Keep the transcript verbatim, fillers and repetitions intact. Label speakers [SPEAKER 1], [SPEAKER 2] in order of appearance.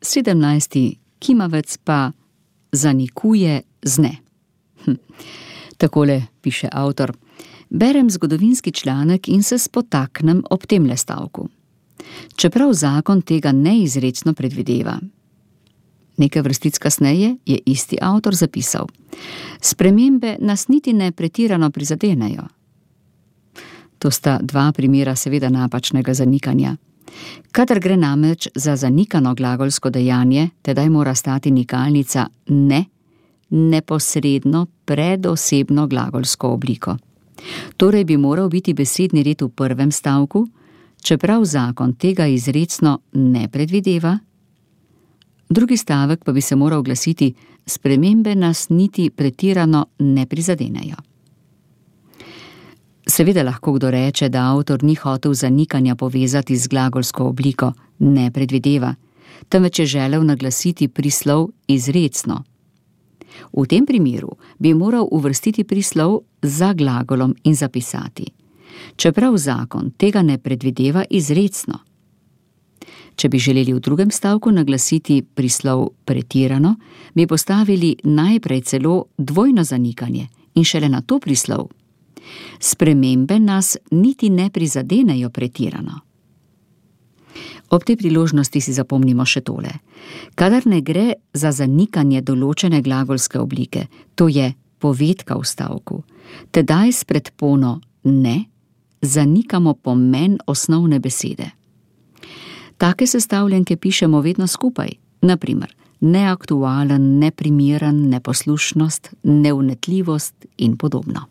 [SPEAKER 1] sedemnajsti kimavec pa zanikuje z ne. Hm. Takole piše avtor. Berem zgodovinski članek in se spotaknem ob temle stavku. Čeprav zakon tega neizrecno predvideva. Nekaj vrstic kasneje je isti avtor zapisal. Spremembe nas niti ne pretirano prizadenejo. To sta dva primera seveda napačnega zanikanja. Kadar gre namreč za zanikano glagolsko dejanje, tedaj mora stati nikalnica ne, neposredno pred osebno glagolsko obliko. Torej bi moral biti besedni red v prvem stavku, čeprav zakon tega izrecno ne predvideva. Drugi stavek pa bi se moral glasiti: spremembe nas niti pretirano ne prizadenejo. Seveda lahko kdo reče, da avtor ni hotel zanikanja povezati z glagolsko obliko ne predvideva, temveč je želel naglasiti prislov izrecno. V tem primeru bi moral uvrstiti prislov za glagolom in zapisati: čeprav zakon tega ne predvideva izrecno. Če bi želeli v drugem stavku naglasiti prislov pretirano, bi postavili najprej celo dvojno zanikanje in šele nato prislov. Spremembe nas niti ne prizadenejo pretirano. Ob tej priložnosti si zapomnimo še tole. Kadar ne gre za zanikanje določene glagolske oblike, to je povedka v stavku, tedaj s predpono ne zanikamo pomen osnovne besede. Take sestavljenke pišemo vedno skupaj, na primer neaktualen, neprimeren, neposlušnost, neunetljivost in podobno.